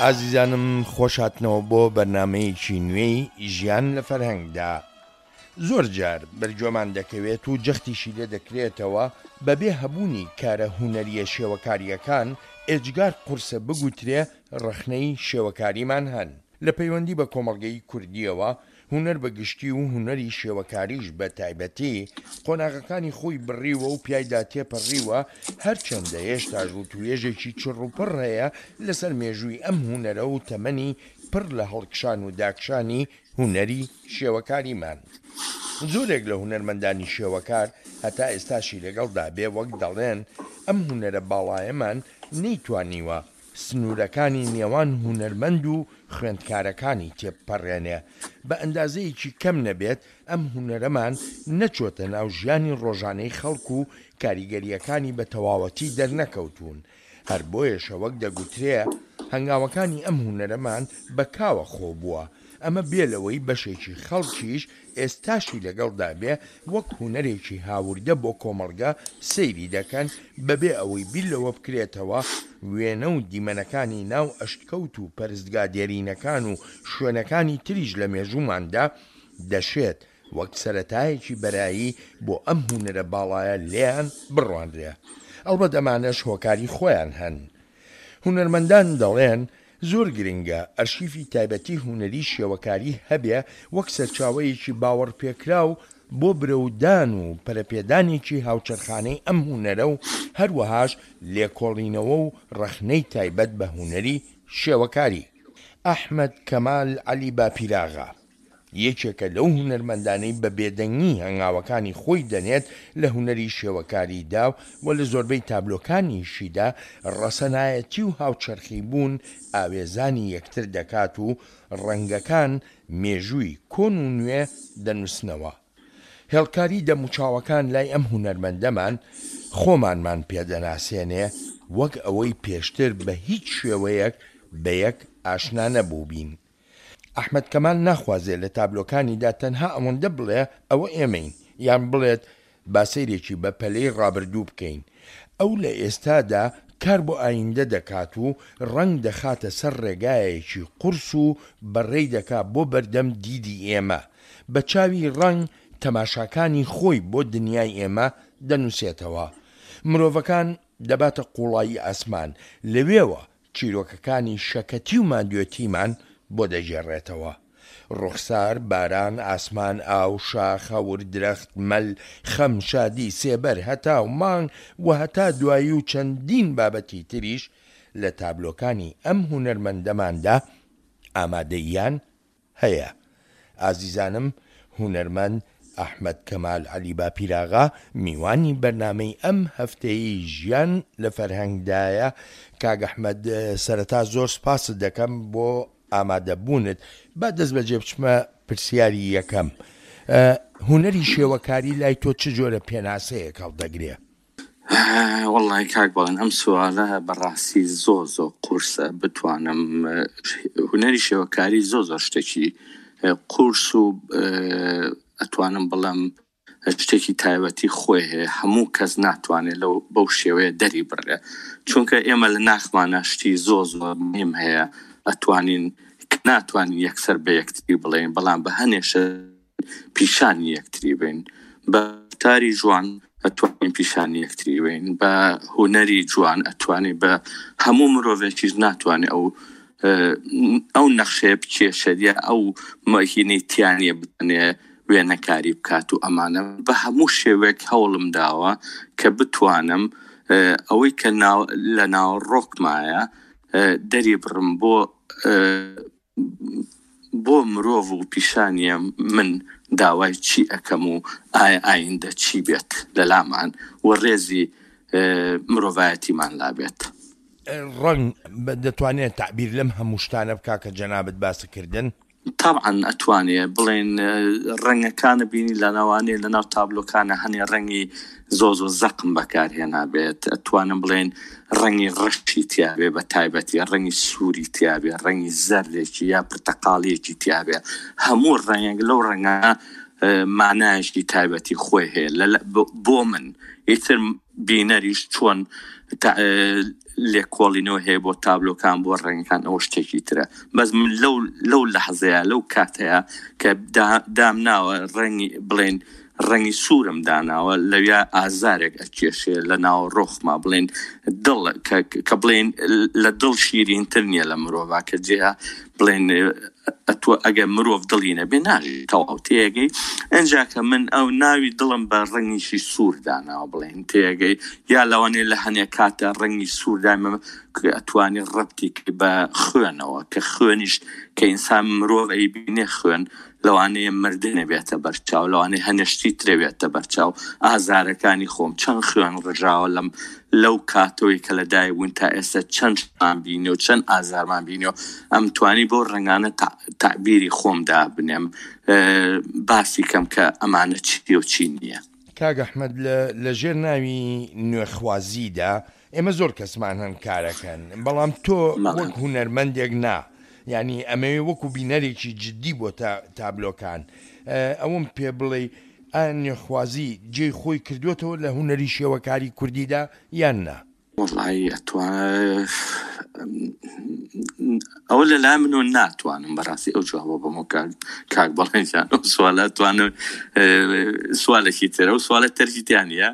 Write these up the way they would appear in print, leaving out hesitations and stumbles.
ئازیزانم خۆش هاتنەوە بۆ بەرنامەیەکی نوێی ژیان لە فەرهەنگدا. زۆر جار بەرگوێمان دەکەوێت و جەختیشی لێ دەکرێتەوە بەبێ هەبوونی کارە هونەرییە شێوەکارییەکان ئێجگار قورسە بگوترێ ڕەخنەی شێوەکاریمان هەن. لە پەیوەندی بە کۆمەڵگەی کوردییەوە هونەر بە گشتی و هونەری شێوەکاریش بە تایبەتی قۆناغەکانی خۆی بڕیوە و پیایدا تێپەڕیوە، هەرچەندە هێشتاش وتوێژێکی چڕوپڕ هەیە لەسەر مێژووی ئەم هونەرە و تەمەنی پڕ لە هەڵکشان و داکشانی هونەری شێوەکاریمان. زۆرێک لە هونەرمەندانی شێوەکار هەتا ئێستاشی لەگەڵدا بێ وەک دەڵێن ئەم هونەرە باڵایەمان نەیتوانیوە سنوورەکانی نێوان هونەرمەند و خوێندکارەکانی تێبپەڕێنێ، بە ئەندازەیەکی کەم نەبێت ئەم هونەرەمان نەچۆتە ناو ژیانی ڕۆژانەی خەڵک و کاریگەرییەکانی بە تەواوەتی دەرنەکەوتوون، هەر بۆیەشە وەک دەگوترێ هەنگاوەکانی ئەم هونەرەمان بە کاوە خۆ بووە، ئەمە بێ لەوەی بەشێکی خەڵکیش ئێستاشی لەگەڵدا بێ وەک هونەرێکی هاوردە بۆ کۆمەڵگە سەیری دەکەن بەبێ ئەوەی بیر لەوە بکرێتەوە وێنە و دیمەنەکانی ناو ئەشکەوت و پەرستگا دێرینەکان و شوێنەکانی تریش لە مێژووماندا دەشێت وەک سەرەتایەکی بەرایی بۆ ئەم هونەرە باڵایە لێیان بڕوانرێ. ئەڵبەت ئەمانەش هۆکاری خۆیان هەن. هونەرمەندان دەڵێن زۆر گرنگە ئەرشیفی تایبەتی هونەری شێوەکاری هەبێ وەک سەرچاوەیەکی باوەڕپێکراو بۆ برەودان و پەرەپێدانێکی هاوچەرخانەی ئەم هونەرە و هەروەهاش لێکۆڵینەوە و ڕەخنەی تایبەت بە هونەری شێوەکاری. ئەحمەد کەمال عەلی باپیراغا. یەکێکە لەو هونەرمەندانەی بە بێدەنگی هەنگاوەکانی خۆی دەنێت لە هونەری شێوەکاریدا و لە زۆربەی تابلۆکانیشیدا ڕەسەنایەتی و هاوچەرخیبوون ئاوێزانی یەکتر دەکات و ڕەنگەکان مێژووی کۆن و نوێ دەنووسنەوە. هێڵکاری دەموچاوەکان لای ئەم هونەرمەندەمان خۆمانمان پێ دەناسێنێ وەک ئەوەی پێشتر بە هیچ شێوەیەک بەیەک ئاشنا نەبووبین. ئەحمەد کەمال ناخوازێ لە تابلۆکانیدا تەنها ئەوەندە بڵێ ئەوە ئێمەین، یان بڵێت با سەیرێکی بە پەلەی ڕابردوو بکەین. ئەو لە ئێستادا کار بۆ ئایندە دەکات و ڕەنگ دەخاتە سەر ڕێگایەکی قورس و بەڕێی دەکا بۆ بەردەم دیدی ئێمە. بە چاوی ڕەنگ تەماشاکانی خۆی بۆ دنیای ئێمە دەنووسێتەوە. مرۆڤەکان دەباتە قووڵایی ئاسمان، لەوێوە چیرۆکەکانی شەکەتی و ماندوێتیمان بۆ دەگێڕێتەوە. ڕوخسار، باران، ئاسمان، ئاو، شاخ، هەور، درەخت، مەل، خەم، شادی، سێبەر، هەتاو، مانگ و هەتا دوایی و چەندین بابەتی تریش لە تابلۆکانی ئەم هونەرمەندەماندا ئامادەییان هەیە. ئازیزانم هونەرمەند ئەحمەد کەمال عەلی باپیراغا میوانی بەرنامەی ئەم هەفتەیەی ژیان لە فەرهەنگدایە. کاک ئەحمەد سەرەتا زۆر سپاست دەکەم بۆ ئامادەبوونت. با دەست بەجێ بچمە پرسیاری یەکەم. هونەری شێوەکاری لای تۆ چ جۆرە پێناسەیەک هەڵدەگرێ؟ وەڵی کاک بەڵێن ئەم سوالە بەڕاستی زۆر زۆر قورسە بتوانم هونەری شێوەکاری زۆر زۆر شتێکی قورس و ئەتوانم بڵێم شتێکی تایبەتی خۆی هەیە هەموو کەس ناتوانێت لەو بەو شێوەیە دەری بڕێ چونکە ئێمە لە ناخمانە شتی زۆر زۆر مهم هەیە ئەتوانین ناتوانین یەکسەر بە یەکتری بڵێن بەڵام بە هەنێشە پیشانی یەکتری بین بە تاری جوان ئەتوانین پیشانی یەکتری بین بە هونەری جوان ئەتوانین بە هەموو مرۆڤێکیش ناتوانێت ئەو ئەو نەخشەیە بکێشێت یا ئەو مەهینەی تیانە بتانێ وێنەکاری بکات و ئەمانە بە هەموو شێوەیەک هەوڵم داوە کە بتوانم ئەوەی کە لە ناوەڕۆکمایە دەری بڕم بۆ بۆ مرۆڤ و پیشانیە من داوای چی ئەکەم و ئایا ئایندە چی بێت لەلامان و ڕێزی مرۆڤایەتیمان لابێت. ڕەنگ دەتوانێت تەعبیر لەم هەموو شتانە بکا کە جەنابت باست کردن؟ تەبعەن ئەتوانێ بڵێن ڕەنگەکانە بینی لەناوانێ لەناو تابلۆکانە هەنێ ڕەنگی زۆ زۆ زەقم بەکارهێنابێت ئەتوانم بڵێن ڕەنگی ڕەشی تیابێ بە تایبەتی ڕەنگی سووری تیابێ ڕەنگی زەردێکی یا پرتەقاڵیەکی تیابێ هەموو ڕەنگێک لەو ڕەنگە. مانایەکی تایبەتی خۆی هەیە بۆ من ئیتر بینەریش چۆن لێکۆڵینەوە هەیە بۆ تابلۆکان بۆ ڕەنگەکان ئەوە شتێکی ترە بەس من لەو لەو لەحزەیە لەو کاتەیە کە دامناوە ڕەنگی بڵێن ڕەنگی سوورم داناوە لەویا ئازارێک ئەکێشێ لە ناو ڕۆخما بڵێن دڵ کە بڵێن لە دڵ شیرینتر نییە لە مرۆڤ کە جێە بڵێن ئەتوە ئەگەر مرۆڤ دڵی نەبێ ناژی تەواو تێگەی ئەنجا کە من ئەو ناوی دڵم بە ڕەنگیشی سوور داناوە بڵێن تێگەی یا لەوانەیە لە هەنێک کاتە ڕەنگی سوور دایمە ئەتوانی ڕەبتی بە خوێنەوە کە خوێنیش کە ئینسان مرۆڤ ئەیبینێ خوێن لەوانەیە مردنێ بێتە بەرچاو لەوانەیە هەنێ شتی ترێ بێتە بەرچاو ئازارەکانی خۆم چەند خوێن ڕژاوە لەم لەو کاتەوەی کە لە دایک بووین تا ئێستا چەند شتمان بینی و چەند ئازارمان بینی و ئەمتوانی بەو ڕەنگانە تەعبیری خۆم دابنێم باسی کەم کە ئەمانە چییە و چی نییە. کاک ئەحمەد لە ژێر ناوی نوێخوازیدا ئێمە زۆر کەسمان هەن کارەکەن بەڵام تۆ وەک هونەرمەندێک نا یانی ئەمەوێ وەکو بینەرێکی جدی بۆ تابلۆکان ئەوەم پێ بڵێی ئایا نوێخوازی جێی خۆی کردووەتەوە لە هونەری شێوەکاری کوردیدا یان نا؟ وەڵایی ئەتوان ئەوە لە لای منەوە ناتوانم بەڕاستی ئەو جوابە بەمەوە کاک کاک بەڵێن جان ئەو سوالە توانم سوالێکی ترە و سوالە تەرکی تیا نییە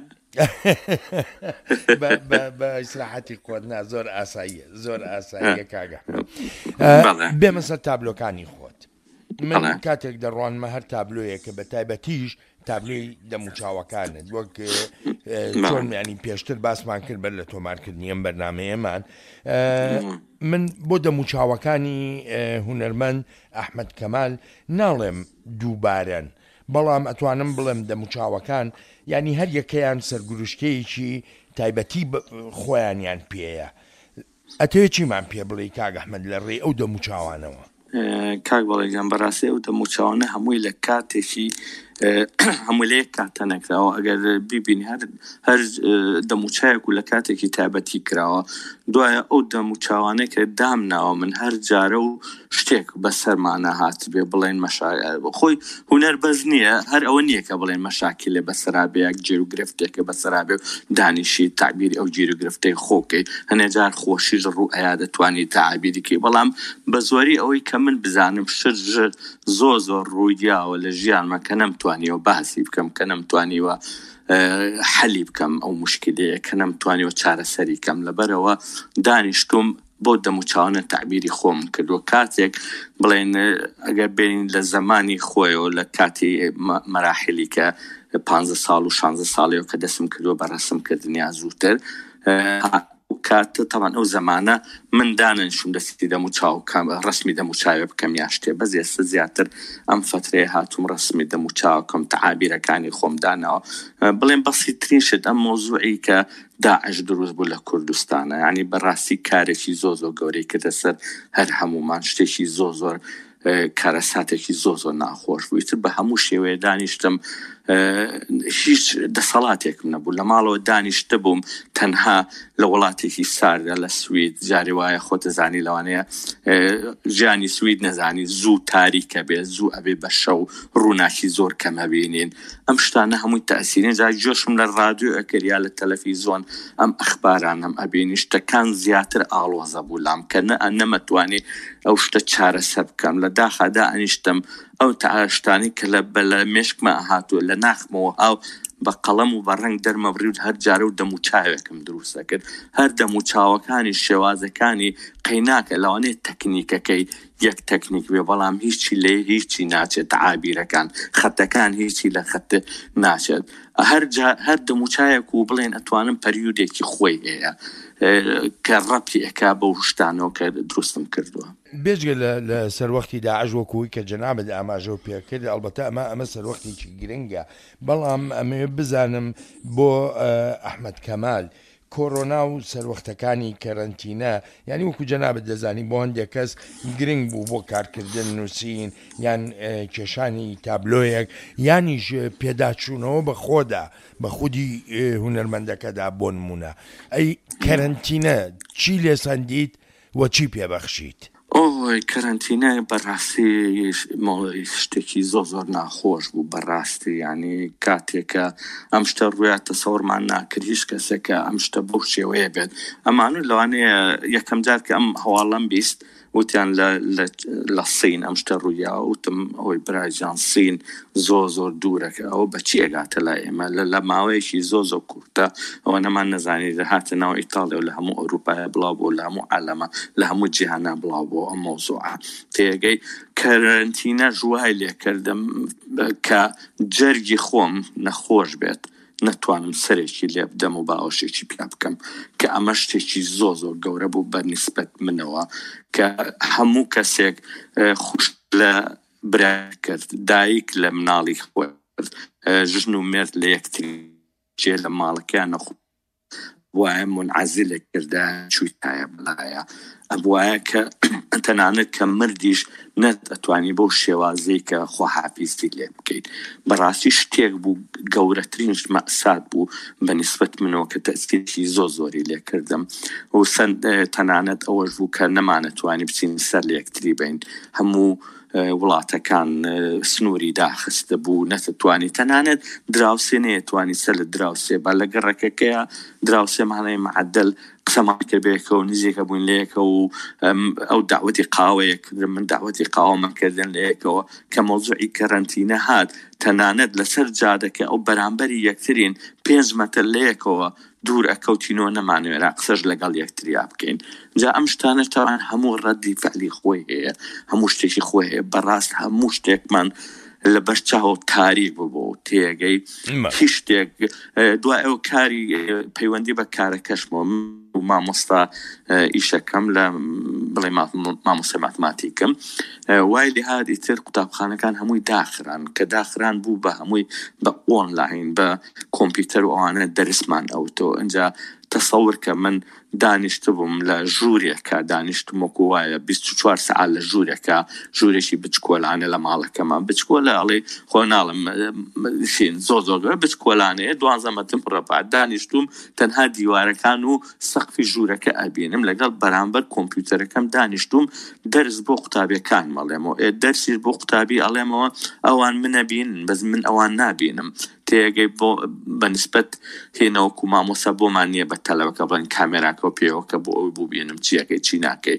بە ئیسراحەتی خۆت نا زۆر ئاساییە زۆر ئاساییە کاگە بێمە سەر تابلۆکانی خۆت من کاتێک دەڕوانمە هەر تابلۆیەکە بە تایبەتیش تابلۆی دەموچاوەکانت وەک چۆن ینی پێشتر باسمان کرد بەر لە تۆمارکردنی ئەم بەرنمەیەمان من بۆ دەموچاوەکانی هونەرمەند ئەحمد کەمال ناڵێم دووبارەن بەڵام ئەتوانم بڵێم دەموچاوەکان یانی هەر یەکەیان سەرگوروشکەیەکی تایبەتی خۆیانیان پێیە ئەتەوێ چیمان پێ بڵێی کاک ئەحمەد لە ڕێی ئەو دەموچاوانەوە؟ کاک بەڵێ گیان بەڕاستی ئەو دەموچاوانە هەمووی لە کاتێکی هەمووی لە یەک کاتە نەکراوە ئەگەر بیبینی هەر هەر دەموچایەک و لە کاتێکی تایبەتی کراوە دوایە ئەو دەموچاوانەی کە دامناوە من هەر جارە و شتێک بەسەرمانا هاتبێ بڵێن مەشا خۆی هونەر بەس نییە هەر ئەوە نییە کە بڵێن مەشاکیلێ بەسەرا بێ یا گیر و گرفتێکە بەسەرا بێ و دانیشی تەعبیری ئەو گیر و گرفتەی خۆ کەی هەنێ جار خۆشیش ڕوو ئەیا دەتوانی تەعبیری کەی بەڵام بە زۆری ئەوەی کە من بزانم شت ژ زۆر زۆر ڕووی یاوە لە ژیانما کە نەمتوانیوە باسی بکەم کە نەمتوانیوە حەلی بکەم ئەو موشکیلەیە کە نەمتوانیوە چارەسەری کەم لەبەرئەوە دانیشتووم بەو دەموچاوانە تەعبیری خۆم کردووە کاتێک بڵێن ئەگەر بێین لە زەمانی خۆیەوە لە کاتی مەراحیلی کە پانزە ساڵ و شانزە ساڵیەوە کە دەستم کردووە بە ڕەسم کردن یا زووتر کاتە تەبعەن ئەو زەمانە من دانەنیشتوم دەستی دەم و چاو کەم ڕەسمی دەم و چاوێ بکەم یا شتێ بەس ئێستا زیاتر ئەم فەترەیە هاتووم ڕەسمی دەم و چاوکەم تەعابیرەکانی خۆم داناوە بڵێم بەسیترین شت ئەم مەوزوعی کە داعش دروست بوو لە کوردستانە یانی بەڕاستی کارێکی زۆر زۆر گەورەی کردە سەر هەر هەموومان شتێکی زۆر زۆر کارەساتێکی زۆر زۆر ناخۆش بوو ئیتر بە هەموو شێوەیە دانیشتم هیچ دەسەڵاتێکم نەبوو لە ماڵەوە دانیشتە بووم تەنها لە وڵاتێکی ساردە لە سوید جارێ وایە خۆتەزانی لەوانەیە ژیانی سوید نەزانی زوو تاریکە بێ زوو ئەبێ بە شەو ڕووناکی زۆر کەمە بینین ئەم شتانە هەمووی تەئسیرن جا گوێشم لە ڕادیۆ ئەکرد یا لە تەلەفیزۆن ئەم ئەخبارانەم ئەبینی شتەکان زیاتر ئاڵۆزە بوو لام کە نە نەمەتوانی ئەو شتە چارەسەر بکەم لە داخا دائەنیشتم ئەو شتانەی کە لە بە لە مێشکما ئەهاتووە لە ناخمەوە ئاو بە قەڵەم و بە ڕەنگ دەرمەبڕی و هەر جارە و دەموچاوێکم دروست ئەکرد هەر دەموچاوەکانی شێوازەکانی قەیناکە لەوانەیە تەکنیکەکەی یەک تەکنیک بێ بەڵام هیچی لە هیچی ناچێت تەعابیرەکان خەتەکان هیچی لە خەت ناچێت هەر جا هەر دەموچایەک و بڵێن ئەتوانم پەریودێکی خۆی هەیە کە ڕەبتی ئەکا بەو شتانەوە کە دروستم کردووە. بێجگە لە لە سەروەختی داعش وەکو وەی کە جەنابت ئاماژەو پێ کرد ئەڵبەتە ئەمە ئەمە سەروەختێکی گرنگە بەڵام ئەمەوێ بزانم بۆ ئەحمەد کەمال کۆرۆنا و سەروەختەکانی کەرەنتینە یانی وەکو جەنابت دەزانی بۆ هەندێک کەس گرنگ بوو بۆ کارکردن نووسین یان کێشانی تابلۆیەک یانیش پێداچوونەوە بە خۆدا بە خودی هونەرمەندەکەدا بۆ نمونە ئەی کەرەنتینە چی لێسەندیت و چی پێبەخشیت؟ ئۆی کەرەنتینە بەڕاستی شتێکی زۆر زۆر ناخۆش بوو بەڕاستی یعنی کاتێکە ئەم شتە ڕوویا تەسەوەرمان ناکرد هیچ کەسێکە ئەم شتە بەو شێوەیە بێت ئەمانو لەوانەیە یەکەم جار کە ئەم هەواڵەم 20 وتیان لە لە لە سین ئەم شتە ڕوویا وتم ئەوەی براجان سین زۆر زۆر دوورەکە ئەوە بەچی ئەگاتە لای ئێمە لە لە ماوەیەکی زۆر زۆر کورتە ئەوەنەمان نەزانی هاتە ناو ئیتاڵیا و لە هەموو ئەوروپایە بڵاو بۆ لە هەموو عالەمە لە هەموو جیهانا بڵاو بۆ ئەم مەوزوعە تێگەی کەرەنتینەش وای لێکردم کە جەرگی خۆم نەخۆش بێت نەتوانم سەرێکی لێ بدەم و باوەشێکی پیا بکەم کە ئەمە شتێکی زۆ زۆر گەورە بوو بە نیسبەت منەوە کە هەموو کەسێک خوش لە برا کرد دایک لە مناڵی خۆی کرد ژن و مێرد لە یەکتری جێ لە ماڵەکەیان نەخۆ وایە منعزلێک کردە چوویتایە بەلایە ئەبوایە کە تەنانەت کە مردیش نەت ئەتوانی بەو شێوازەی کە خواحافیزی لێ بکەیت بەڕاستی شتێک بوو گەورەترین مەسات بوو بە نیسبەت منەوە کە تەسیرێکی زۆر زۆری لێ کردم و تەنانەت ئەوەش بوو کە نەمانەتوانی بچین سەر لە یەکتری بین هەموو وڵاتەکان سنووری داخستبوو نەتتوانی تەنانەت دراوسێ نەیەتوانی سەر لە دراوسێ با لە گەڕەکەکەیە دراوسێمان هەیە معەدەل قسەمان کرد بەیەکەوە نزیکە بووین لە یەکەوە و ئەو داوەتی قاوەیە کردن من داوەتی قاوەمان کردن لە یەکەوە کە مەوزوعی کەرەنتینە هات تەنانەت لەسەر جادەکە ئەو بەرامبەری یەکترین پێنج مەتر لە یەکەوە دوور ئەکەوتینەوە نەمانوێرا قسەش لەگەڵ یەکتریا بکەین جا ئەم شتانە تاوان هەموو ڕەدی فعلی خۆی هەیە هەموو شتێکی خۆی هەیە بەڕاست هەموو شتێکمان لەبەر چاو تاریک ببوو تێگەی هیچ شتێک دوای ئەو کاری پەیوەندی بە کارەکەشمەوە مامۆستا ئیشەکەم لە بڵێ مامۆستا ماتماتیکم وای لێهات ئیتر قوتابخانەکان هەمووی داخران کە داخران بوو بە هەمووی بە ئۆنلاین بە کۆمپیوتەر و ئەوانە دەرسمان ئەوتەوە ئینجا تەسەور کە من دانیشتبووم لە ژوورێکا دانیشتم وەکو وایە 24 سەعات لە ژوورێکا ژوورێکی بچکۆلانە لە ماڵەکەمان بچکۆلە ئەڵێ خۆ ناڵم شین زۆر زۆر گەورە بچکۆلانەیە دوانزە مەتر مڕەبا دانیشتوم تەنها دیوارەکان و سەقفی ژوورەکە ئەبینم لەگەڵ بەرامبەر کۆمپیوتەرەکەم دانیشتوم دەرس بۆ قوتابیەکانم ئەڵێمەوە ئێ دەرسیش بۆ قوتابی ئەڵێمەوە ئەوان منەبینن بەس من ئەوان نابینم تێگەی بۆ بە نسبەت هێنە وەکو مامۆستا بۆمان نییە بە تەلەبەکە بڵێن کامێراکەو پێوەکە بۆ ئەوی ببینم چیەکەی چی ناکەی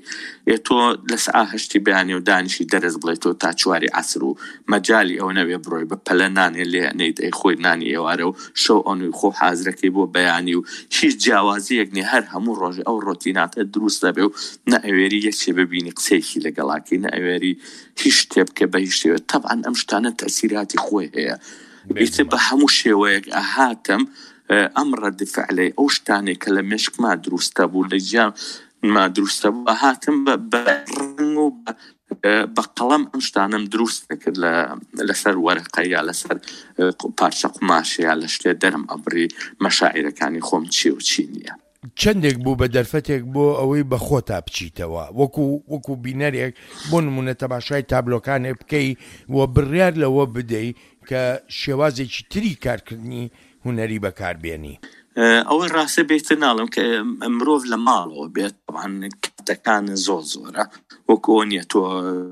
ئێ تۆ لە سعا هەشتی بەیانی و دانیشی دەرس بڵێ تۆ تا چواری عەسر و مەجالی ئەوە نەبێ بڕۆی بە پەلە نانێ لێ ئەنێیت ئەی خۆی نانی ئێوارە و شەو ئەنوی خۆ حازرەکەی بۆ بەیانی و هیچ جیاوازیەک نیە هەر هەموو ڕۆژێ ئەو ڕۆتیناتە دروست دەبێ و نە ئەوێری یەکێ ببینی قسەیەکی لەگەڵاکەی نە ئەوێری هیچ شتێ بکە بە هیچ شێوە تەبعەن ئەم شتانە تەسیراتی خۆی هەیە ئیتر بە هەموو شێوەیەک ئەهاتم ئەم ڕەد فعلەی ئەو شتانەی کە لە مێشکما دروستە بوو لە گیانما دروستە بوو ئەهاتم بە ڕەنگ و بە قەڵەم ئەم شتانەم دروست دەکرد لە لەسەر وەرەقە یا لەسەر پارچە قوماشە یا لە شتێ دەرم ئەبڕی مەشاعیرەکانی خۆم چی و چی نییە. چەندێک بوو بە دەرفەتێک بۆ ئەوەی بە خۆتا بچیتەوە وەکو وەکو بینەرێک بۆ نمونە تەماشای تابلۆکانێک بکەی و بڕیار لەوە بدەی کە شێوازێکی تری کارکردنی هونەری بەکار بێنی. ئەوەی ڕاستە بێتر ناڵێم کە مرۆڤ لە ماڵەوە بێت تەبعەن کاتەکان زۆر زۆرە وەکو ئەوە نییە تۆ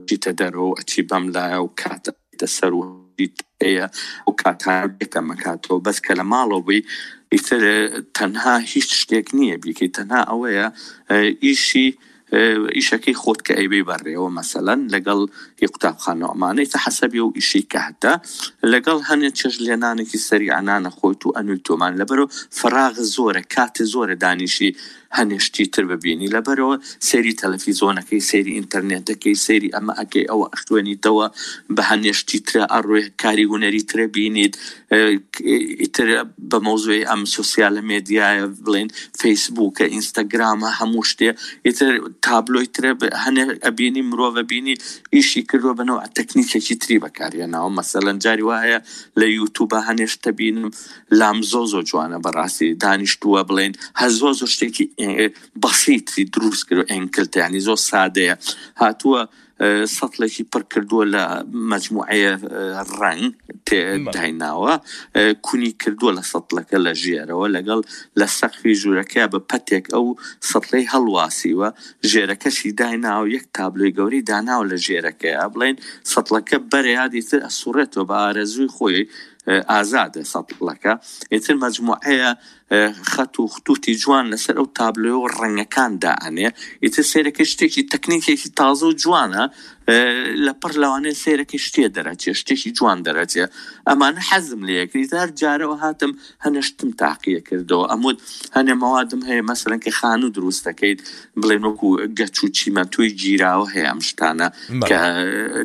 چیتە دەرەوە و ئەچی بەم لایە و کات ئەچیتە سەر و هەیە و کاتان بێکەمەکاتەوە بەس کە لە ماڵەوە بووی ئیتر تەنها هیچ شتێک نییە بیکەی تەنها ئەوەیە ئیشی ئیشەکەی خۆت کە ئەیبەی بەڕێوە مەسەلەن لەگەڵ هی قوتابخانە و ئەمانەی تە حەسەبی ئەو ئیشەی کە هەتە لەگەڵ هەنێ چێژ لێنانێکی سەریع نانە خۆیت و ئەنووی تۆمان لەبەرەوە فەراغ زۆرە کاتێ زۆرە دانیشی هەنێ شتی تر ببینی لەبەرەوە سەیری تەلەفیزۆنەکەی سەیری ئینتەرنێتەکەی سەیری ئەمە ئەکەی ئەوە ئەخوێنیتەوە بە هەنێ شتی ترە ئەڕۆی کاری هونەری ترە بینیت ئیتر بە مەوزوعی ئەم سۆسیالە مێدیایە بڵێن فەیسبووکە ئینستاگرامە هەموو شتێ ئیتر تابلۆی ترە هەنێ ئەبینی مرۆڤ ئەبینی ئیشی کردووە بە نەوع تەکنیکێکی تری بەکارهێناوە مەسەلەن جاری وا هەیە لە یوتوبە هەنێ شتە بینم لام زۆ زۆر جوانە بەڕاستی دانیشتووە بڵێن هەر زۆ زۆر شتێکی بەسیتی دروست کرد ئەنکلتە ینی زۆر سادەیە هاتووە. سەتڵێکی پڕ کردووە لە مەجموعەیە ڕەنگ دایناوە کونی کردووە لە سەتڵەکە لە ژێرەوە لەگەڵ لە سەقفی ژوورەکەیا بە پەتێک ئەو سەتڵەی هەڵواسیوە ژێرەکەشی دایناوە یەک تابلۆی گەورەی داناوە لە ژێرەکەیا بڵێن سەتڵەکە بەرەیا دیتر ئەسوڕێتەوە بە ئارەزووی خۆی ئازادە سەتڵەکە ئیتر مەجموعەیە خەت و ختوتی جوان لەسەر ئەو تابلۆ و ڕەنگەکان دائەنێ ئیتر سەیرەکەی شتێکی تەکنیکێکی تازە و جوانە لە پڕ لەوانەیە سەیرەکەی شتێ دەرەچێ شتێکی جوان دەرەچێ ئەمانە حەزم لێ یەکرد هەر جارەوە هاتم هەنێ شتم تاقیە کردەوە ئەموت هەنێ مەوادم هەیە مەسەلەن کە خانوو دروست دەکەیت بڵێن وەکو گەچ و چیمەنتۆی گیراوە هەیە ئەم شتانە کە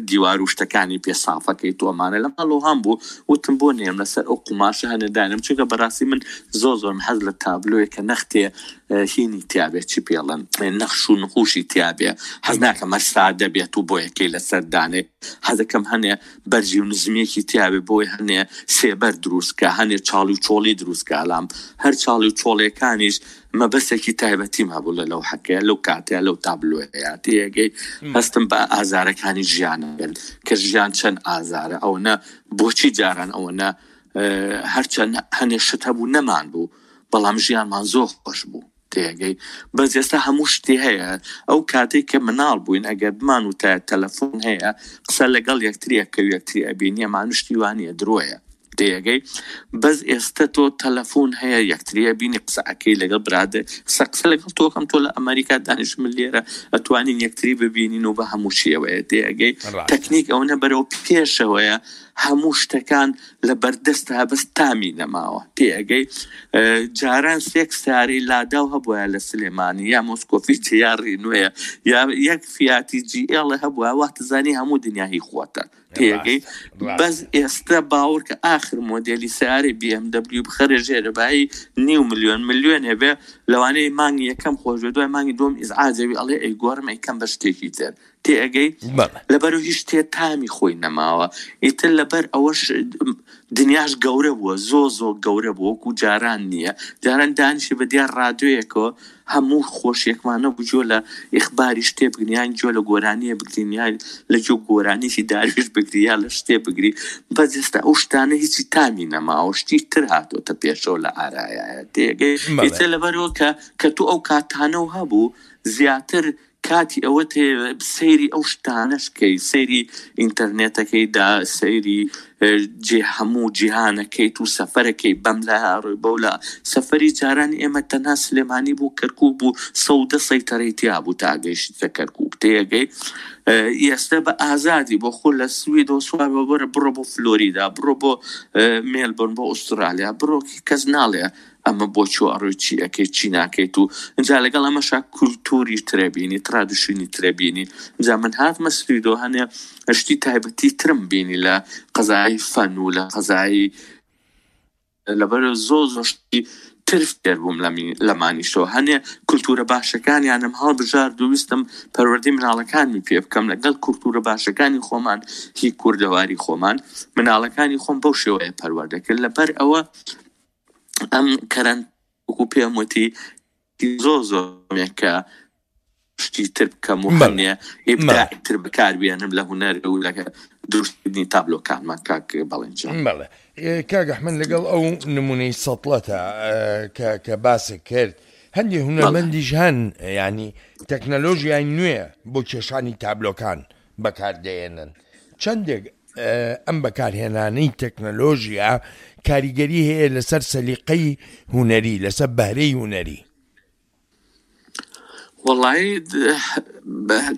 دیوار و شتەکانی پێ سافەکەی تۆ ئەمانە لە ماڵەوە هەم بوو وتم بۆ نێم لەسەر ئەو قوماشە هەنێ دانێم چونکە بەڕاستی من زۆر زۆرم حەز لە تابلۆیە کە نەختێ هینی تیابێ چی پێڵێن نەخش و نقوشی تیابێ حەز ناکەم هەر سادە بێت و بۆیەکەی لەسەر دانێ حەزەکەم هەنێ بەرزی و نزمیەکی تیابێ بۆی هەنێ سێبەر دروست کا هەنێ چاڵی و چۆڵی دروست کا لام هەر چاڵی و چۆڵیەکانیش مەبەستێکی تایبەتیم هەبوو لە لەوحەکەیا لەو کاتەیا لەو تابلۆیەیا تێگەی هەستم بە ئازارەکانی ژیان کرد کە ژیان چەند ئازارە ئەوەنە بۆچی جاران ئەوەنە هەرچەند هەنێ شت هەبوو نەمان بوو بەڵام ژیانمان زۆر خۆش بوو تێگەی بەس ئێستا هەموو شتی هەیە ئەو کاتێک کە مناڵ بووین ئەگەر بمان وتایە تەلەفۆن هەیە قسە لەگەڵ یەکتری ئەکەو یەکتری ئەبینی ئەمان شتی وانیە درۆیە تێگەی بەس ئێستا تۆ تەلەفۆن هەیە یەکتری ئەبینی قسە ئەکەی لەگەڵ برادەر قسە قسە لەگەڵ تۆکەم تۆ لە ئەمریکا دانیش من لێرە ئەتوانین یەکتری ببینین و بە هەموو شێوەیە تێگەی تەکنیک ئەوەنە بەرەو پێشەوەیە هەموو شتەکان لە بەردەستە بەس تامی نەماوە تێئەگەی جاران سێک سارەی لاداو هەبوایە لە سلێمانی یا مۆسکۆفیچ یا ڕینوەیە یا یەک فیاتی جی ئێڵ هەبوایە واتزانی هەموو دنیا هی خۆتە تێگەی بەس ئێستا باوەڕکە ئاخر مۆدێلی سیارەی BMW بخەرە ژێرە بایی نیو ملیۆن ملیۆنێ بێ لەوانەیە مانگی یەکەم خۆش بێ دوای مانگی دووەم ئیزعاجەوی ئەڵێ ئەیگۆڕم ئەیکەم بە شتێکی تر تێئەگەی؟ بەڵێ. لەبەرو هیچ شتێ تامی خۆی نەماوە ئیتر لەبەر ئەوەش دنیاش گەورە بووە زۆ زۆ گەورە بووە وەکو جاران نییە جاران دانیشی بە دیار ڕادیۆیەکەوە هەموو خۆشیەکمان نەبوو گوێ لە ئیخباری شتێ بگرین یان گوێ لە گۆرانیە بگرین یان لە گوێ گۆرانیی دارویش بگری یا لە شتێ بگری بەس ئێستا ئەو شتانە هیچی تامی نەماوە شتی تر هاتۆتە پێشەوە لە ئارایایە تێگەی بەڵێ. ئیتر لەبەرەوە کە کە تۆ ئەو کاتانەو هەبوو زیاتر کاتی ئەوەت هەیە سەیری ئەو شتانەش کەی سەیری ئینتەرنێتەکەی دا سەیری جێ هەموو جیهانەکەیت و سەفەرەکەی بەم لا ڕۆی بەو لا سەفەری جاران ئێمە تەنها سلێمانی بوو کەرکوک بوو سەودە سەیتەرەی تیا بوو تا گەیشتە کەرکوک تێگەی ئێستا بە ئازادی بۆ خۆ لە سویدەوە سوار بە بڕە بڕۆ بۆ فلۆریدا بڕۆ بۆ مێلبۆرن بۆ ئوسترالیا بڕۆ کەس ناڵێ ئەمە بۆ چۆ ئەڕۆی چی ئەکەی چی ناکەیت و ئینجا لەگەڵ ئەمەشا کولتوری ترە بینی ترادشینی ترە بینی ئینجا من هاتمە سویدۆ هەنێ شتی تایبەتی ترم بینی لە قەزای فەن و لە قەزای لەبەر زۆ زۆر شتی تر فێر بووم لەمانیشەوە هەنێ کولتورە باشەکانیانم هەڵبژارد و ویستم پەروەردەی مناڵەکانمی پێ بکەم لەگەڵ کولتورە باشەکانی خۆمان هی کوردەواری خۆمان مناڵەکانی خۆم بەو شێوەیە پەروەردە کرد لەبەر ئەوە ئەم کەرەن وەکو پێم وتی زۆر زۆر کە شتی تر بکەم و هەنێ ئیبداعی تر بەکاربێنم لە هونەر و لە دروستکردنی تابلۆکانمان کاک بەڵێن جان. بەڵێ کاک ئەحمەد لەگەڵ ئەو نمونەی سەتڵەتە کە کە باست کرد هەندێ هونەرمەندیش هەن یانی تەکنەلۆژیای نوێ بۆ کێشانی تابلۆکان بەکاردەێنن چەندێک ئەم بەکارهێنانەی تەکنەلۆژیا کاریگەری هەیە لەسەر سەلیقەی هونەری لەسەر بەهرەی هونەری؟ وەڵایی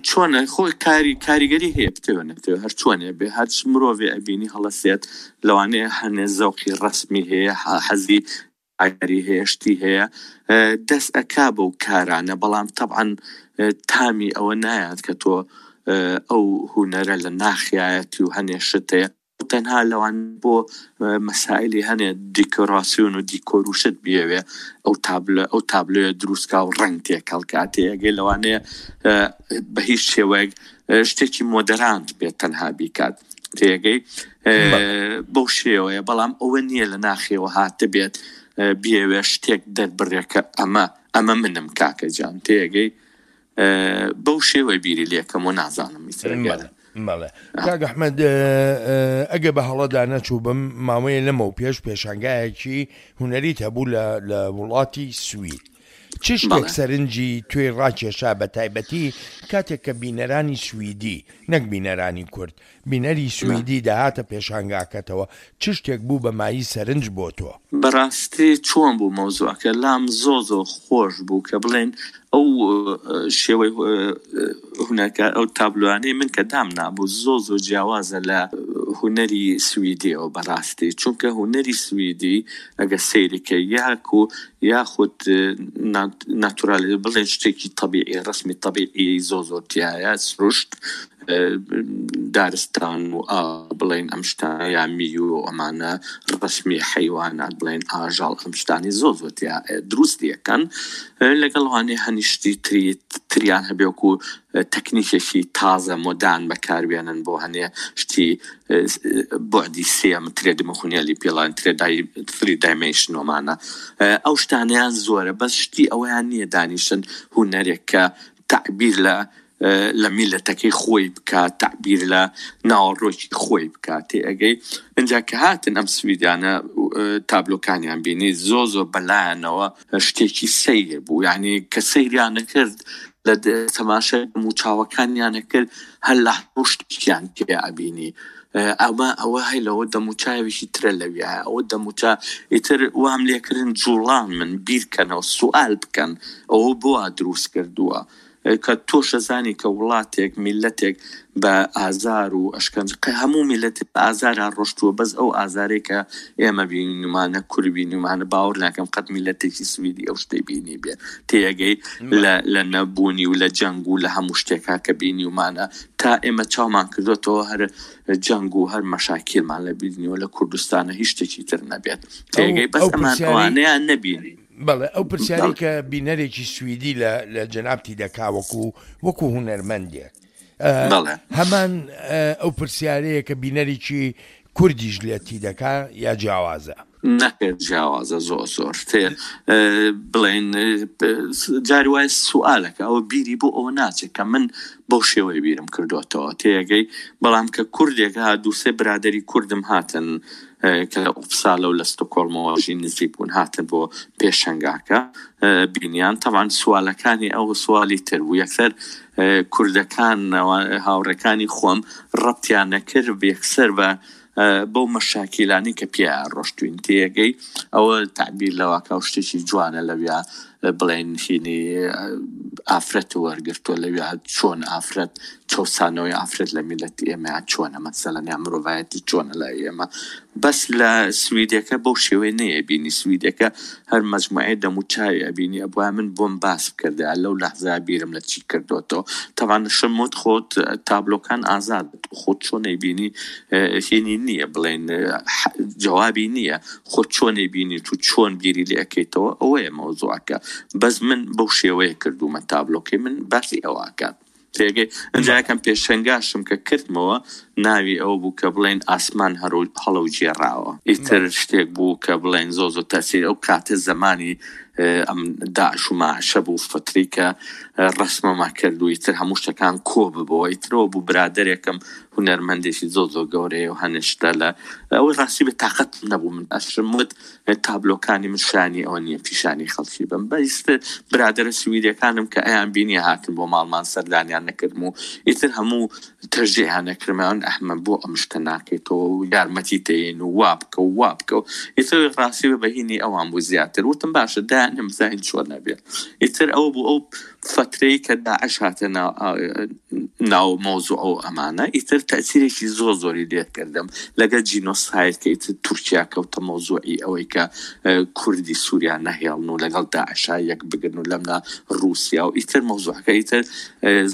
چۆنە خۆی کاری کاریگەری هەیە بتەوێ نەتەوێ هەر چۆنێ بێ هەرچ مرۆڤێ ئەبینی هەڵەسێت لەوانەیە هەنێ زەوقی ڕەسمی هەیە حەزی ئاگری هەیە شتی هەیە دەست ئەکا بەو کارانە بەڵام تەبعەن تامی ئەوە نایات کە تۆ ئەو هونەرە لە ناخیایەتی و هەنێ شت هەیە تەنها لەوان بۆ مەسایلی هەنێ دیکۆراسیۆن و دیکۆر و شت بیەوێ ئەو تابلۆ ئەو تابلۆیە دروستکا و ڕەنگ تێکەڵ کا تێئەگەی لەوانەیە بە هیچ شێوەیەک شتێکی مۆدەرانت بێت تەنها بیکات تێگەی بەو شێوەیە بەڵام ئەوە نییە لە ناخیەوە هاتبێت بیەوێ شتێک دەربڕێ کە ئەمە ئەمە منم کاکە جان تێگەی. بەو شێوەی بیری لێکەم و نازانم ئیتر بەڵێ بەڵێ کاک ئەحمەد ئەگە بە هەڵەدا نەچووبم ماوەیە لەمەو پێش پێشانگایەکی هونەریت هەبوو لە لە وڵاتی سوید چ شتێک سەرنجی توێی ڕاکێشا بە تایبەتی کاتێک کە بینەرانی سویدی نەک بینەرانی کورد بینەری سویدی دەهاتە پێشانگاکەتەوە چ شتێک بوو بە مایەی سەرنج بۆ تۆ؟ بەڕاستی چۆن بوو مەوزوعەکە لام زۆر زۆر خۆش بوو کە بڵێن ئەو شێوەی هونەرکە ئەو تابلۆانەی من کە دامنابوو زۆر زۆر جیاوازە لە هونەری سویدیەوە بەڕاستی چونکە هونەری سویدی ئەگە سەیری کەی یاکو یاخود ناتورالی بڵێن شتێکی تەبیعی ڕسمی تەبیعی زۆر زۆر تیایە سروشت دارستان و ئاو بڵێن ئەم شتانە یا میو و ئەمانە ڕەسمی حەیوانات بڵێن ئاژەڵ ئەم شتانی زۆر زۆر تیا دروستی ئەکەن لەگەڵ وانەیە هەنی شتی تری تریان هەبێ وەکو تەکنیکێکی تازە مۆدان بەکاربێنن بۆ هەنێ شتی بعدی سێم ترێ دمخونیالی پێڵان ترێ دای تری دایمنشن ومانە ئەو شتانیان زۆرە بەس شتی ئەوەیان نییە دانیشن هونەرێک کە تەعبیر لە لە میللەتەکەی خۆی بکات تەعبیر لە ناوەڕۆکی خۆی بکات تێئەگەی ئینجا کە هاتن ئەم سویدیانە تابلۆکانیان بینی زۆ زۆر بەلایانەوە شتێکی سەیر بوو یعنی کە سەیریان کرد لە تەماشای موچاوەکانیان کرد هەر لە شتێکیان پێ ئەبینی ئەمە ئەوە هەی لەوە دەموچاوێکی ترە لەویایە ئەوە دەموچا ئیتر وام لێکردن جوڵان من بیرکەنەوە سوال بکەن ئەوە بۆ دروست کردووە کە تۆش ئەزانی کە وڵاتێک میللەتێک بە ئازار و ئەشکەنجە قە هەموو میللەتێک بە ئازارا ڕۆشتووە بەس ئەو ئازارەی کە ئێمە بینیومانە کورد بینیومانە باوەڕ ناکەم قەت میللەتێکی سویدی ئەو شتەی بینیبێ تێئەگەی لە لە نەبوونی و لە جەنگ و لە هەموو شتێکا کە بینیومانە تا ئێمە چاومان کردۆتەوە هەر جەنگ و هەر مەشاکیلمان لە بینیوە لە کوردستانە هیچ شتێکی تر نەبێت ئەو تێگەی بەس ئەو ئەمان پرسیارەی ئەوانەیان نەبینی. بەڵێ ئەو پرسیارەی کە بینەرێکی سویدی لە لە جەنابتی دەکا وەکو وەکو هونەرمەندێک بەڵێ. هەمان ئەو پرسیارەیە کە بینەرێکی کوردیش لێتی دەکا یا جیاوازە؟ نەخێر جیاوازە زۆر زۆر تێ بڵێن جاری وایە سوالەکە ئەوە بیری بۆ ئەوە ناچێت کە من بەو شێوەیە بیرم کردوێتەوە تێگەی بەڵام کە کوردێک ها دووسێ برادری کوردم هاتن کە لە ئوپسالە و لە ستۆکۆڵمەوە ژی نزیک بوون هاتن بۆ پێشەنگاکە بینیان تەبعەن سوالەکانی ئەو سوالی تر بوو یەکسەر کوردەکان هاوڕێکانی خۆم ڕەبتیان نەکرد یەکسەر بە بەو مەشاکیلانی کە پێ ڕۆشتوین تێگەی ئەوە تعبیر لەواکە و شتێکی جوانە لەویا بڵێن هینی ئافرەت وەرگرتووە لەویا چۆن ئافرەت چەوسانەوەی ئافرەت لە میلەتی ئێمە چۆنە مەسەلەن یا مرۆڤایەتی چۆنە لای ئێمە بەس لە سویدەکە بەو شێوەیە نەیەبینی سویدەکە هەر مەجموعەی دەموچاوی ئەبینی ئەبوایە من بۆم باس بکردایە لەو لەحزە بیرم لە چی کردۆتەوە تەبعەن شم وت خۆت تابلۆکان ئازاد خۆت چۆن ئەیبینی هینی نییە بڵێن جوابی نییە خۆت چۆن ئەیبینیت و چۆن بیری لێ ئەکەیتەوە ئەوەیە مەوزوعەکە بەس من بەو شێوەیە کردوومە تابلۆکەی من باسی ئەوە ئەکات تێگەی ئینجا یەکەم پێشەنگاشم کە کردمەوە ناوی ئەوە بوو کە بڵێن ئاسمان هەرو هەڵەو گێڕاوە ئیتر شتێک بوو کە بڵێن زۆ زۆ تەسیر ئەو کاتە زەمانی ئەم داعش و ماعشە بوو فتری کە ڕەسمەما کرد و ئیتر هەموو شتەکان کۆ ببەوە ئیترەوە بوو برادەرێکم هونەرمەندێکی زۆر زۆر گەورەیە و هەنێ شتە لە ئەوەی ڕاستی بێ تاقەت نەبوو من ئەشم وت تابلۆکانی من شانی ئەوە نییە پیشانی خەڵکی بم بەیست برادەرە سویدەکانم کە ئەیان بینی هاتن بۆ ماڵمان سەردانیان نەکردم و ئیتر هەموو تەشجیعیان نەکردم ئەوان ئەحمە بۆ ئەم شتە ناکەیتەوە و یارمەتی تەین و وا بکە و وا بکە و ئیتر ڕاستی بە بەهینی ئەوان بوو زیاتر وتم باشە دایانم بزانین چۆن نەبێت ئیتر ئەو بوو ئەو فەترەی کە داعش هاتە ناو مەوزوع و ئەمانە ئیتر تەئسیرێکی زۆر زۆری لێ کردم لەگەل جینۆساید کە ئیتر تورکیا کەوتە مەوزوعی ئەوەی کە کوردی سووریا نەهێڵن و لەگەڵ داعشا یەک بگرن و لەملا ڕووسیا و ئیتر مەوزوعەکە ئیتر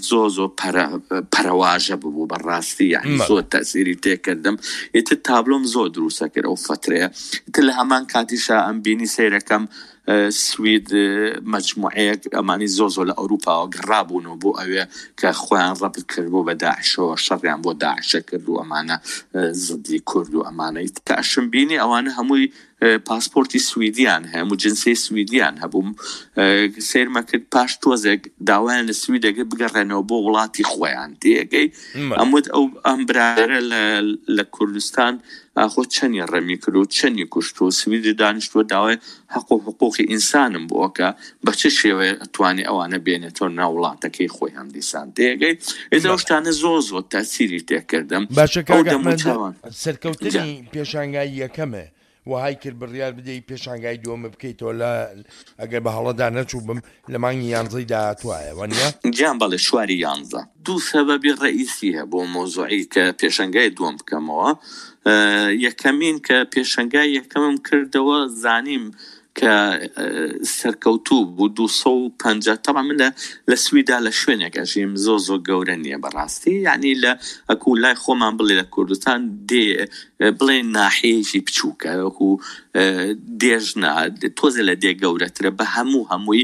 زۆر زۆر پەرە پەرەواژە ببوو بە ڕاستی یعنی زۆر تەئسیری تێکردم ئیتر تابلۆم زۆر دروستە کرد ئەو فەترەیە ئیتر لە هەمان کاتیشا ئەم بینی سەیرەکەم سوید مەجموعەیەک ئەمانی زۆر زۆر لە ئەوروپاوە گەڕابوونەوە بۆ ئەوێ کە خۆیان ڕەبت کردبوو بە داعشەوە شەڕیان بۆ داعشە کرد و ئەمانە زدی کورد و ئەمانەی کە ئەشم بینی ئەوانە هەمووی. پاسپۆرتی سویدیان هەیە و جنسیەی سویدیان هەبوو سەیرمە کرد پاش تۆزێک داوایان لە سویدەکە بگەڕێنەوە بۆ وڵاتی خۆیان تێگەی ئەموت ئەو ئەم برادەرە لە کوردستان ئاخۆ چەنی ڕەمی کرد و چەنی کوشت و سویدی دانیشتووە داوای حەق و حقوقی ئینسانم بۆکە بە چ شێوەیە ئەتوانێ ئەوانە بێنێتەوە ناو وڵاتەکەی خۆی هەم دیسان تێگەی ئێستا ئەو شتانە زۆر زۆر تەسیری تێکردم باشە کاک ئەحمەد سەرکەوتنی پێشانگای یەکەمێ وەهای کرد بڕیار بدەی پێشانگای دووەمە بکەیتەوە لە ئەگەر بە هەڵەدا نەچووبم لە مانگی یانزەی داهاتوایە وەنیە؟ گیان بەڵێ شواری یانزە. دوو سەبەبی ڕەئیسی هەبوو بۆ مەوزوعی کە پێشەنگای دووەم بکەمەوە یەکەمین کە پێشەنگای یەکەمم کردەوە زانیم کە سەرکەوتوو بوو 250 تەبعا من لە لە سویدا لە شوێنێک ئەژیم زۆر زۆر گەورە نییە بەڕاستی یعنی لە ئەکو لای خۆمان بڵێ لە کوردستان دێ بڵێ ناحەیەکی بچووکە وەکو دێژ نا تۆزێ لە دێ گەورەترە بە هەموو هەمووی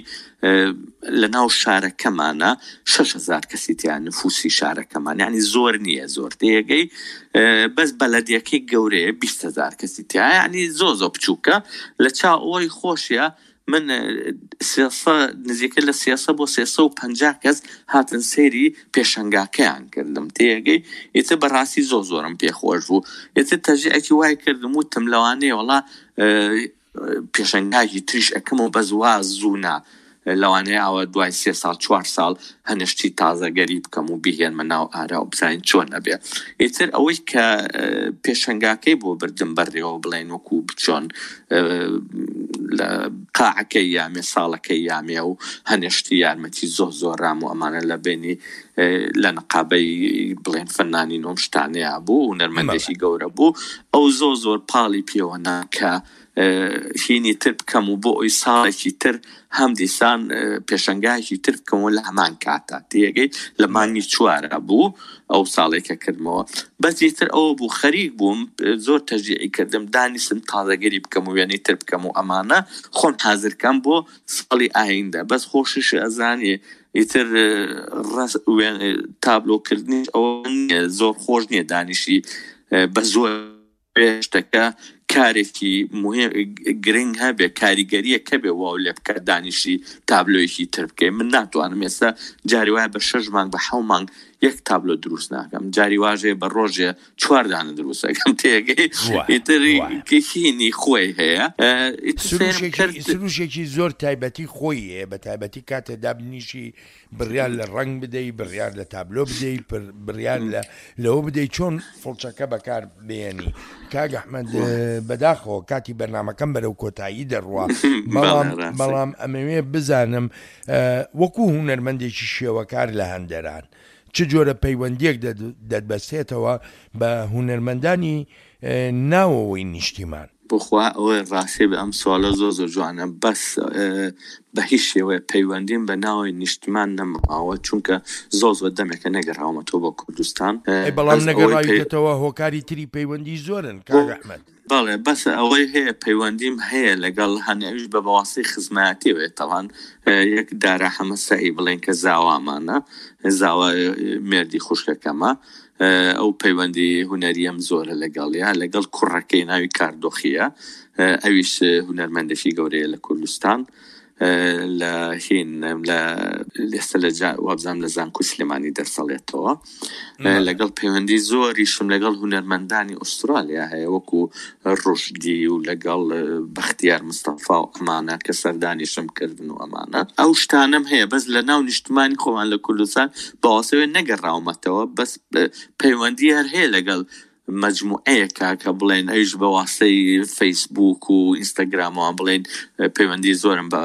لە ناو شارەکەمانە 6000 کەسی تیا نفوسی شارەکەمان یعنی زۆر نییە زۆر تێگەی بەس بەلەدیەکەی گەورەیە 20هزار کەسی تیا یعنی زۆ زۆ بچووکە لە چاو ئەوەی خۆشیە من سێسە نزیکە لە سێسە بۆ 350 کەس هاتن سەیری پێشەنگاکەیان کردم تێگەی ئیتر بەڕاستی زۆ زۆرم پێخۆش بوو ئیتر تەژیعێکی وای کردم وتم لەوانەیە وڵا پێشەنگاکی تریش ئەکەم و بەس وا زوو نا لەوانەیە ئاوا دوای سێ ساڵ چوار ساڵ هەنێ شتی تازەگەری بکەم و بیهێنمە ناو ئارا و بزانین چۆن ئەبێ ئیتر ئەوەی کە پێشەنگاکەی بۆ بردم بەڕێوە بڵێن وەکو چۆن لە قاعەکەی یامێ ساڵەکەی یامێ و هەنێ شتی یارمەتی زۆر زۆر رام و ئەمانە لە بینی لە نقابەی بڵێن فەنانی نۆم شتانەیە بوو و نەرمەندێکی گەورە بوو ئەو زۆر زۆر پاڵی پێوە نا کە هینی تر بکەم و بۆ ئەوی ساڵێکی تر هەم دیسان پێشەنگایەکی تر بکەمەوە لە هەمان کاتا تێگەی لە مانگی چوارە بوو ئەو ساڵێکە کردمەوە بەس تر ئەوە بوو خەریک بووم زۆر تەژیعی کردم دانیشتم تازەگەری بکەم و وێنەی تر بکەم و ئەمانە خۆم حازرکەم بۆ ساڵی ئایندە بەس خۆشیش ئەزانێ ئیتر تابلۆکردنیش ئەوە زۆر خۆش نییە دانیشی بە زۆر شتەکە کارێکی گرنگ هەبێ کاریگەریەک هەبێ واو لێ بکە دانیشی تابلۆیەکی تر بکەی من ناتوانم ئێستا جاری وایە بە شەش مانگ بە حەو مانگ یەک تابلۆ دروست ناکەم جاری واژێ بە ڕۆژێ چوار دانە دروست ئەکەم تێگەی ئیتر هینی خۆی هەیە سروشێکی زۆر تایبەتی خۆی هەیە بە تایبەتی کاتێ دابنیشی بڕیار لە ڕەنگ بدەی، بڕیار لە تابلۆ بدەی، بڕیار لە لەوە بدەی چۆن فڵچەکە بەکار بێنی. کاک ئەحمەد بەداخەوە کاتی بەرنامەکەم بەرەو کۆتایی دەڕوا، بەڵام بەڵام ئەمەوێ بزانم وەکو هونەرمەندێکی شێوەکار لە هەندەران چ جۆرە پەیوەندیەک دەتبەستێتەوە بە هونەرمەندانی ناوەوەی نیشتیمان؟ بخوا ئەوەی ڕاستی بێ ئەم سوالە زۆر زۆر جوانە بەس بە هیچ شێوەیە پەیوەندیم بە ناوی نیشتمان نەماوە چونکە زۆر زۆر دەمێکە نەگەڕاومەتەوە بۆ کوردستان ئەی بەڵام بەس ئەوەی پەی... نەگەڕاویتەتەوە هۆکاری تری پەیوەندی زۆرن کاک ئەحمەد. بەڵێ بەس ئەوەی هەیە پەیوەندیم هەیە لەگەڵ هەنێ ئەویش بە بەواسطەی خزمایەتیەوەیە تەڵان یەک دارا حەمە سەعی بڵێن کە زاوامانە زاوا مێردی خوشکەکەمە ئەو پەیوەندی هونەریەم زۆرە لەگەڵیا لەگەڵ کوڕەکەی ناوی کاردۆخیە ئەویش هونەرمەندێکی گەورەیە لە کوردستان لە هین لە ئێستا لە وابزانام لە زانکۆی سلێمانی دەرسەڵێتەوە لەگەڵ پەیوەندی زۆریشم لەگەڵ هونەرمەندانی ئوسترالیا هەیە وەکو ڕوشدی و لەگەڵ بەختیار مستەفا و ئەمانە کە سەردانیشم کردن و ئەمانە ئەو شتانەم هەیە بەس لە ناو نیشتمانی خۆمان لە کوردستان بەواسەوێ نەگەڕاومەتەوە بەس پەیوەندی هەر هەیە لەگەڵ مەجموعەیەکە کە بڵێن ئەویش بە واسەی فەیسبوک و ئینستاگرامەوە بڵێن پەیوەندی زۆرم بە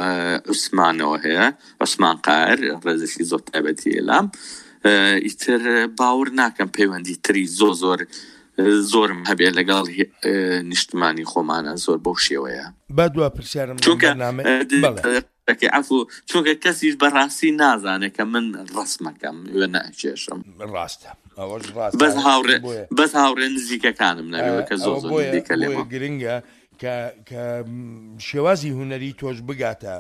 عوسمانەوە هەیە عوسمان قاهر ڕێزێکی زۆر تایبەتی ئێلام ئیتر باور ناکەم پەیوەندی تری زۆر زۆر زۆرم هەبێ لەگەڵ نیشتمانی خۆمانە زۆر بەو شێوەیە. با دوا پرسیارم لەم چونکە بەرنامەیە بەڵێ. دەکەی عەفو چونکە کەسیش بەڕاستی نازانێ کە من ڕەسمەکەم وێنە ئەکێشم. ڕاستە ئەوەش ڕاستە بەس هاوڕێ بۆیە بەس هاوڕێ نزیکەکانم نەبێ کە زۆر ئەوە زۆر بۆیە نزیکە بۆیە لێمەوە. گرنگە. کە کە شێوازی هونەری تۆش بگاتە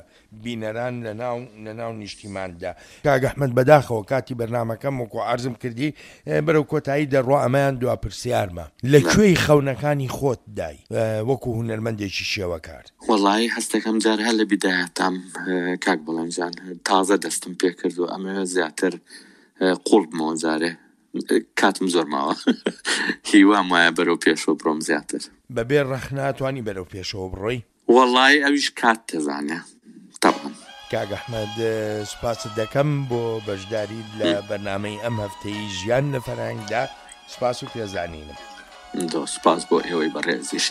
بینەران لە ناو لە ناو نیشتیماندا. کاک ئەحمەد بەداخەوە کاتی بەرنامەکەم وەکو عەرزم کردی بەرەو کۆتایی دەڕوا ئەمەیان دوا پرسیارمە لە کوێی خەونەکانی خۆت دای وەکو هونەرمەندێکی شێوەکار؟ وەڵایی هەستەکەم جار هەر لە بیدایەتام کاک بەڵێن جان تازە دەستم پێکردوە ئەمەوێ زیاتر قوڵ بمەوە جارێ کاتم زۆر ماوە هیوام وایە بەرەو پێشەوە بڕۆم زیاتر. بەبێ ڕەخنە ئەتوانی بەرەو پێشەوە بڕۆی؟ وەڵایی ئەویش کات دەزانێ تەبعەن. کاک ئەحمەد سوپاست دەکەم بۆ بەشداریت لە بەرنامەی ئەم هەفتەی ژیان لە فەرهەنگدا، سوپاس و پێزانینم. زۆر سوپاس بۆ ئێوەی بەڕێزیش.